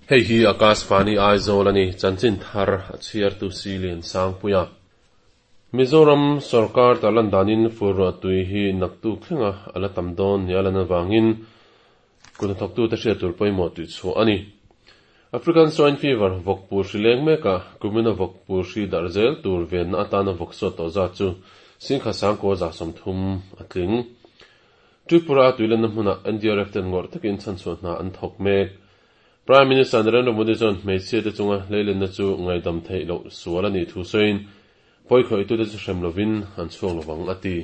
Hei hi Akashvani Aizawl a ni, chanchin thar a chhiartu si Liansangpuia. Mizoram sorkar tarlan danin fur ruah tui hi naktuk thlenga a la tam dawn nia lan avangin kut hnathawktute hriat tur pawimawh tih chhuah a ni. African Swine Fever vawkpur hri leng mekah kumina vawkpur hri darh zel tur venna atana vawk sawt tawh zat chu Singkha Sangkua 30 a tling. Tripura a tuilenna hmunah NDRF ten ngawrh takin chhanchhuah hna an thawk mek. Prime Minister Narendra Modi chuan hmeichhia te chunga hleilenna chu ngaihdam theih loh sual a nih thu sawiin pawikhawitute chu hrem lovin an chhuak lovang a ti.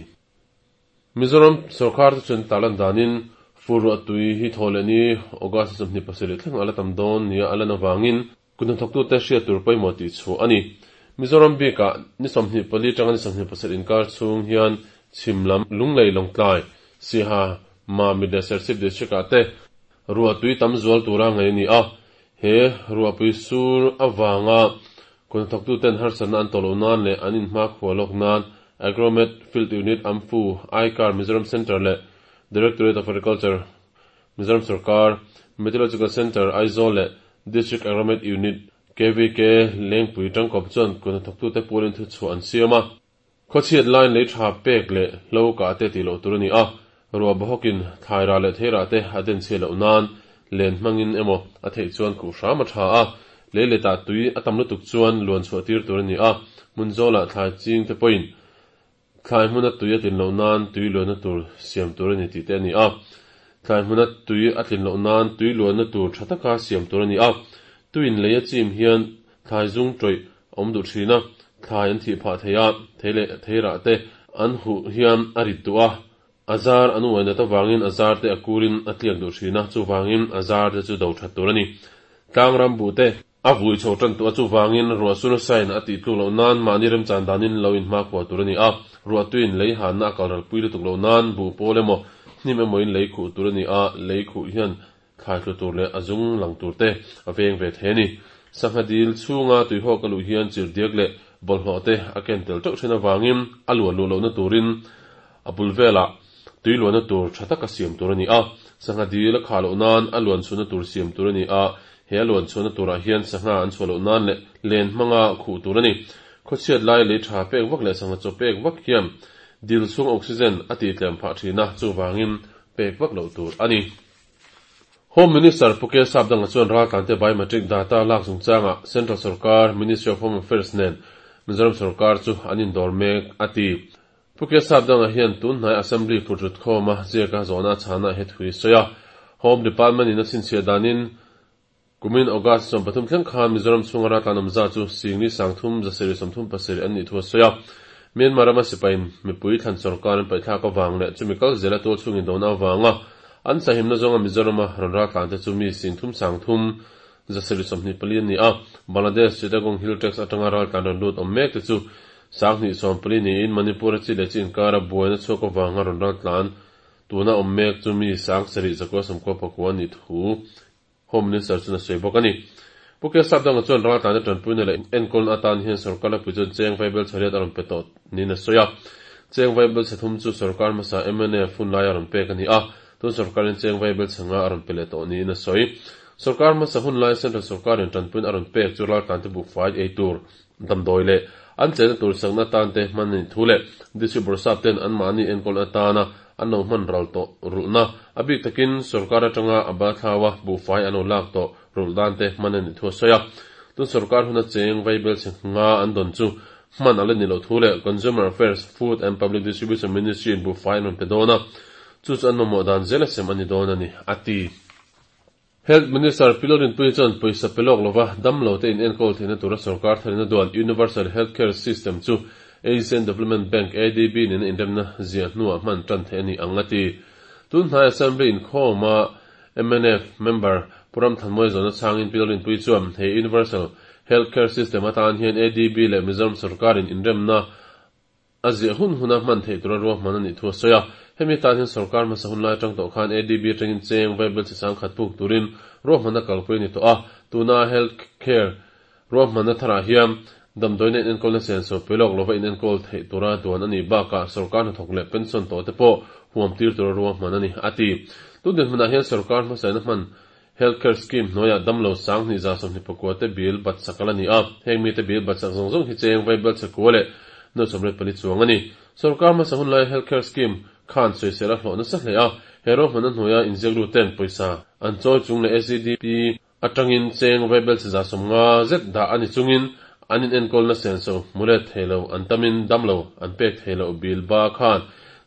Mizoram sorkar te chuan tarlan danin fur ruah tui hi thaw leh ni August 27 thleng a la tam dawn nia a lan avangin kut hnathawktute hriat tur pawimawh tih chhuah a ni. Mizoram bikah ni 24 tanga ni 27 inkar chhung hian chhim lam Lunglei Lawngtlai, Siaha, Mamit leh Serchhip District ah te ruah tui tam zual tura ngaih a ni a. He ruahpui sur avanga kut hnathawktuten harsatna an tawh loh nan leh an inhmakhua lawk nan Agromet Field Unit Amphu, ICAR Mizoram Centre leh Directorate of Agriculture Mizoram Sorkar, Meteorological Centre Aizawl leh District Agromet Unit KVK Lengpui tangkawp chuan kut hnathawktute pualin thuchhuah an siam a. Khawchhiat laiin lei tha pek leh hlo kah te tih loh tur a ni a, ruah bawhawkin thlai rah leh thei rah te a den chhiat loh nan len hmangin emaw a theih chuan khuh hram a tha a, lei letah tui a tam lutuk chuan luan chhuah tir tur a ni a, hmun zawlah thlai ching te pawhin thlai hmuna tui a tlin loh nan tui luanna tur siam tur a ni tih te a ni a, thlai hmuna tui a tlin loh nan tui luanna tur tha taka siam tur a ni a, tuiin lei a chim hian Thlai zung tawih a awm duh thin a, thlai an thih phah thei a, thei leh theirah te an huh hian a rit duh a, a zar an uai nat avangin a zar te a kurin a tliak duh thin a, chuvangin a zar te chu do that tur a ni. Tlang ram buh te a vui chho tan tuah a, chuvangin ruah sur sain a tih tluk loh nan mahni remchan danin lo inhmakhua tur a ni a, ruah tuiin lei hanna a kal ralpui lutuk loh nan buh pawl emaw hnim emawin lei khuh tur a ni a, lei khuh hian Thlai tlu tur leh a zung lang tur te a veng ve thei a ni. Sangha dil chhunga tuihawk a luh hian chirhdiak leh bawlhhlawh te a ken tel teuh thin avangin a luan luh lohna turin a bul velah tui luanna tur tha taka siam tur a ni a. Sangha dil a khah loh nan a luan chhuahna tur siam tur a ni a, he a luan chhuahna turah hian sangha an chhuah loh nan leh len hmanga khuh tur a ni. Khawchhiat lai lei tha pek vak leh sangha chaw pek vak hian dil chhung oxygen a tihtlem phah thin a, chuvangin pek vak loh tur a ni. Home Minister Pu K Sapdanga chuan raltlante biometric data lak chungchangah Central Sorkar, Ministry of Home Affairs nen Mizoram Sorkar chu an indawr mek a ti. Pu K Sapdanga hian tun hnai Assembly phutrut khawma ziaka zawhna a chhana he thu hi sawi a. Home Department in a chhinchhiah danin kumin August 13 thleng khan Mizoram chhunga raltlan awm zat chu singli sangthum zasarih 37 an nih thu a sawi a. Myanmar rama sipaiin mipui thlan sorkar an paihthlak avang leh chumi kal zela tual chhungin dona avanga An sahimna zawnga Mizorama rawn raltlan te chu mi singthum sangthum zasarih 24 an ni a, Bangladesh Chittagong Hill Tracts atanga raltlan rawn lut awm mek te chu 20 14 niin Manipur a chi leh chi inkara buaina chhuak avanga rawn raltlan tuna awm mek chu mi 7,000 zakua 90 pakua an nih thu Home Minister chuan a sawi bawk a ni. Pu K Sapdanga chuan raltlana tanpuina leh enkawlna atan hian sorkar laipui chuan cheng vaibel chhariat a rawn pe tawh niin a sawi a. Cheng vaibel chhe thum chu sorkar hmasa mnf hun laia rawn pek a ni a, tun sorkarin cheng vaibel chhe nga a rawn pe leh tawh niin a sawi. Sorkar hmasa hun laia Central sorkarin tanpuina a rawn pek chu raltlante buhfai ei tur, damdawi leh an chenna tur sakna atan te hman a nih thu leh District Bawrhsap ten anmahni enkawlna atana an lo hman ral tawh rulhna a bik takin sorkar atanga a balthlaua buhfai an lo lak tawh rulh dan te hman a nih thu a sawi a. Tun sorkar huna cheng vaibel chhe nga an dawn chu hman a la ni loh thu leh Consumer Affairs, Food and Public Distribution Ministry in buhfai an rawn pe dawn a, chu chu an mamawh dan zel a sem a ni dawn a ni, a ti. Health Minister Pi Lalrinpuii chuan pawisa pe lawk lova damlo te in enkawl theihna tura sorkar tharina duan Universal Health Care System chu Asian Development Bank, ADB, nena inremna ziah hnuah hman tan theih a ni ang a ti. Tun hnai Assembly inkhawma mnf member Pu Ramthanmawia zawhna chhangin Pi Lalrinpuii chuan he Universal Health Care System atan hian ADB leh Mizoram sorkarin inremna A ziah hun huna hman theih tura ruahman a nih thu a sawi a. Hemi tan hian sorkar hmasa hun lai atang tawh khan ADB atangin cheng vaibel chi sangkhat puk turin ruahmanna kalpui a ni tawh a. Tuna health care ruahmanna tharah hian damdawiina inenkawlna senso pe lawk lova inenkawl theih tura duan a nih bakah sorkar hnathawk leh pension tawh te pawh huam tir tura ruahman a ni, a ti. Tun dinhmunah hian sorkar hmasaina hman. Health Care Scheme hnuaiah damlo 2124 te bill bat sak a la ni a, heng mite bill bat sak zawng zawng hi cheng vaibel chakua leh nuai sawmriat pali chuang a ni. Sorkar hmasa hun lai Health Care Scheme khan sawisel a hlawh nasa hle a, he ruahmanna hnuaia inziaklu ten pawisa an chawi chung leh SEDP atangin cheng vaibel chi 150 zet dah a ni chungin an inenkawlna senso hmu let thei lo an tamin damlo an pek thei loh bill ba khan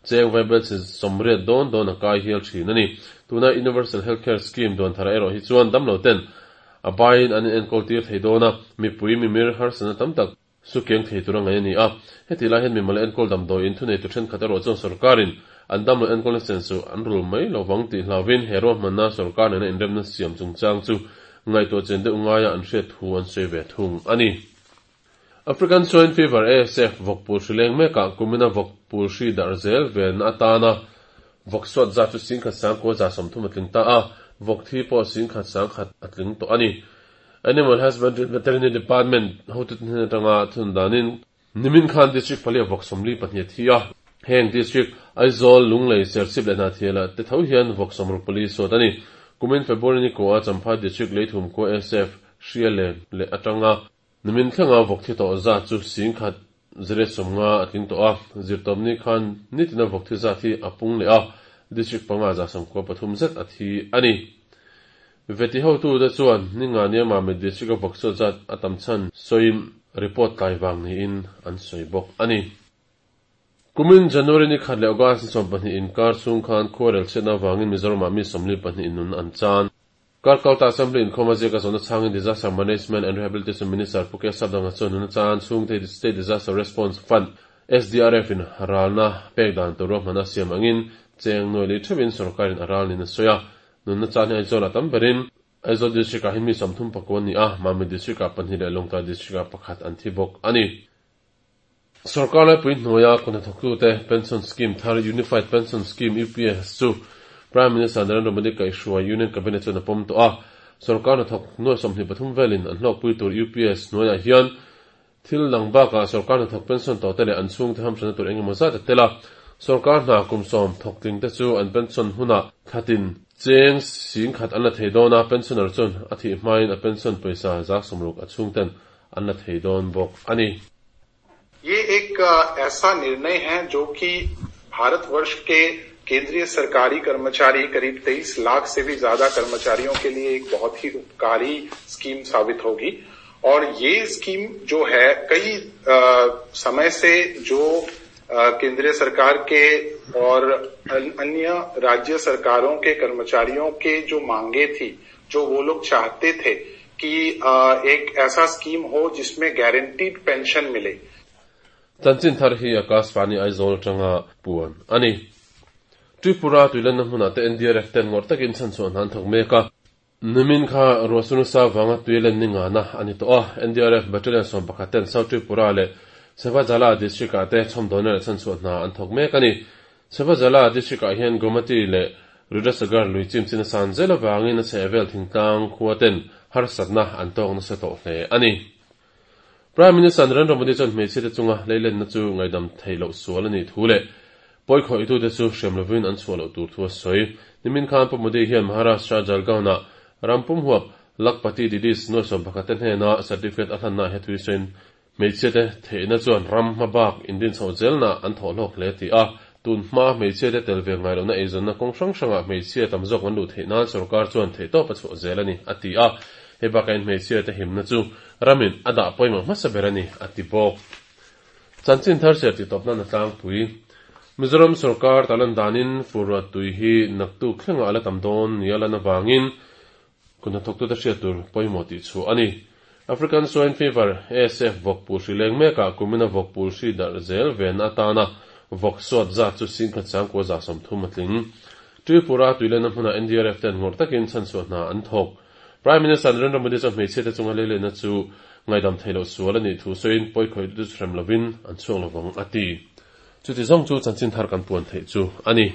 cheng vaibel chi 80 dawn dawn a kai hial thin a ni. Tuna Universal Health Care Scheme duan thar erawh hi chuan damlo ten a baiin an inenkawl tir thei dawn a, mipui mimir harsatna tam tak Su keng thei tur a ngaih a ni a. Heti lai hian mimal enkawl damdawiin thuneitu thenkhat erawh chuan sorkarin an damlo enkawlna senso an rul mai lo vang tih hlauvin he ruahmanna sorkar nena inremna siam chungchang chu ngaihtuah chen deuh ngaia an hriat thu an sawi ve thung a ni. African Swine Fever, ASF, vawkpul hri leng mekah kumina vawkpul hri darh zel velna atana vawk suat zat chu 10,930 a tling ta a, vawk thi pawh 10,100 a tling tawh a ni. Animal Husbandry and Veterinary Department hotute hnen atanga thun danin nimin khan District pali a vawk 42 a thi a. Heng District, Aizawl, Lunglei, Serchhip leh Hnahthiala te tho hian vawk 64 sawt a ni. Kumin February ni kua Champhai District Leithum khua SF hria len leh atanga nimin thlenga vawk thi tawh zat chu 1050 a tling tawh a. Zirtawpni khan nitina vawk thi zat hi a pung leh a, District panga 93 zet a thi a ni. Veti hotute chuan ninga nia Mamit District-a vawksuat zat a tam chhan sawiin report tlai vang niin an sawi bawk a ni. Kumin January ni khat leh August ni 12 inkar chhung khan khuarel chhiatna avangin Mizoramah mi 42 in nun an chan. Karkalta Assembly inkhawm a ziak a zawhna chhangin Disaster Management and Rehabilitation Minister Pu Keshav Danga chuan nuna chan chhungte State Disaster Response Fund, SDRF, in ralna pek dan tur ruahmanna siam angin cheng nuai lei theuhin sorkarin a ral niin a sawi a. Nunna chan hi Aizawl ah tam berin Aizawl District ah hi mi 34 an ni a, Mamit District ah pahnih leh Lawngtlai District ah pakhat an thi bawk a ni. Sorkar laipui hnuaia kut hnathawktute Pension Scheme thar Unified Pension Scheme, UPS, chu Prime Minister Narendra Modi kaihhruai Union Cabinet chuan a pawm tawh a. Sorkar hnathawk nuai 23 velin an hlawkpui tur UPS hnuaiah hian Thil dang bakah sorkar hnathawk pension tawhte leh an chhungte hamhranna tur engemaw zat a tel a, sorkar hna kum sawm thawk tlingte chu an pension hunah thlatin cheng 10,000 an la thei dawn a, pensioner chuan a thih hmain a pension pawisa 60% a chhungten an la thei dawn bawk a ni. ये एक ऐसा निर्णय है जो कि भारतवर्ष के केंद्रीय सरकारी कर्मचारी करीब 23 लाख से भी ज्यादा कर्मचारियों के लिए एक बहुत ही उपकारी स्कीम साबित होगी और ये स्कीम जो है कई समय से जो केंद्रीय सरकार के और अन्य राज्य सरकारों के कर्मचारियों के जो मांगे थी, जो वो लोग चाहते थे कि एक ऐसा स्कीम हो जिसमें गारंटीड पेंशन मिले। Chanchin thar hi Akashvani Aizawl atanga puan a ni. Tripura tuilenna hmunah te NDRF ten ngawrh takin chhanchhuah hna an thawk mek a. Nimin kha Ruahsunu vanga tuilen ni ngana a ni tawh a. NDRF Battalion 11 ten South Tripura leh Sepajala District ah te chhawmdawhna leh chhanchhuah hna an thawk mek a ni. Sepajala District ah hian Gomati leh Rudrasagar lui chim chin a san zel avangin a chhehvel thingtlang khua ten harsatna an tawk nasa tawh hle a ni. Prime Minister Narendra Modi chuan hmeichhia te chunga leilenna chu ngaihdam theih loh sual a nih thu leh pawi khawihtu te chu hrem lovin an chhuah loh tur thu a sawi. Nimin khan Pu Modi hian Maharashtra Jalgaon-ah ram pum huap Lakhpati Didis nuai 11 te hnena certificate a hlanna he thui sawiin hmeichhia te theihna chuan ram hma bak indin chhoh zelna an thawh hlawk hle ti a. Tun hma hmeichhia te tel ve ngai lohna eizawnna kawng hrang hrangah hmeichhia tam zawk an luh theih nan sorkar chuan theihtawp a chhuah zel a ni, a ti a. Hei bakah in hmeichhia te himna chu ramin a dah pawimawh hmasa ber a ni, a ti bawk. Chanchin thar ser tih tawp nan a tlangpui. Mizoram sorkar talan danin fur ruat tui hi naktuk thlengah a la tam dawn nia lan avangin kut hnathawktute hriat tur pawimawh tih chhuah a ni. African Swine Fever, ASF, vawk pul hri leng mekah kumina vawk pul hri darh zel venna atana vawk suat zat chu 10,930 a tling. Tripura tuilenna hmunah NDRF ten ngawrh takin chhanchhuah hna an thawk. Prime Minister Narendra Modi chuan hmeichhia te chunga leilenna chu ngaihdam theih loh sual a nih thu sawiin pawi khawih chu hrem lovin an chhuak lovang a ti. Chuti zawng chu chanchin thar kan puan theih chu a ni.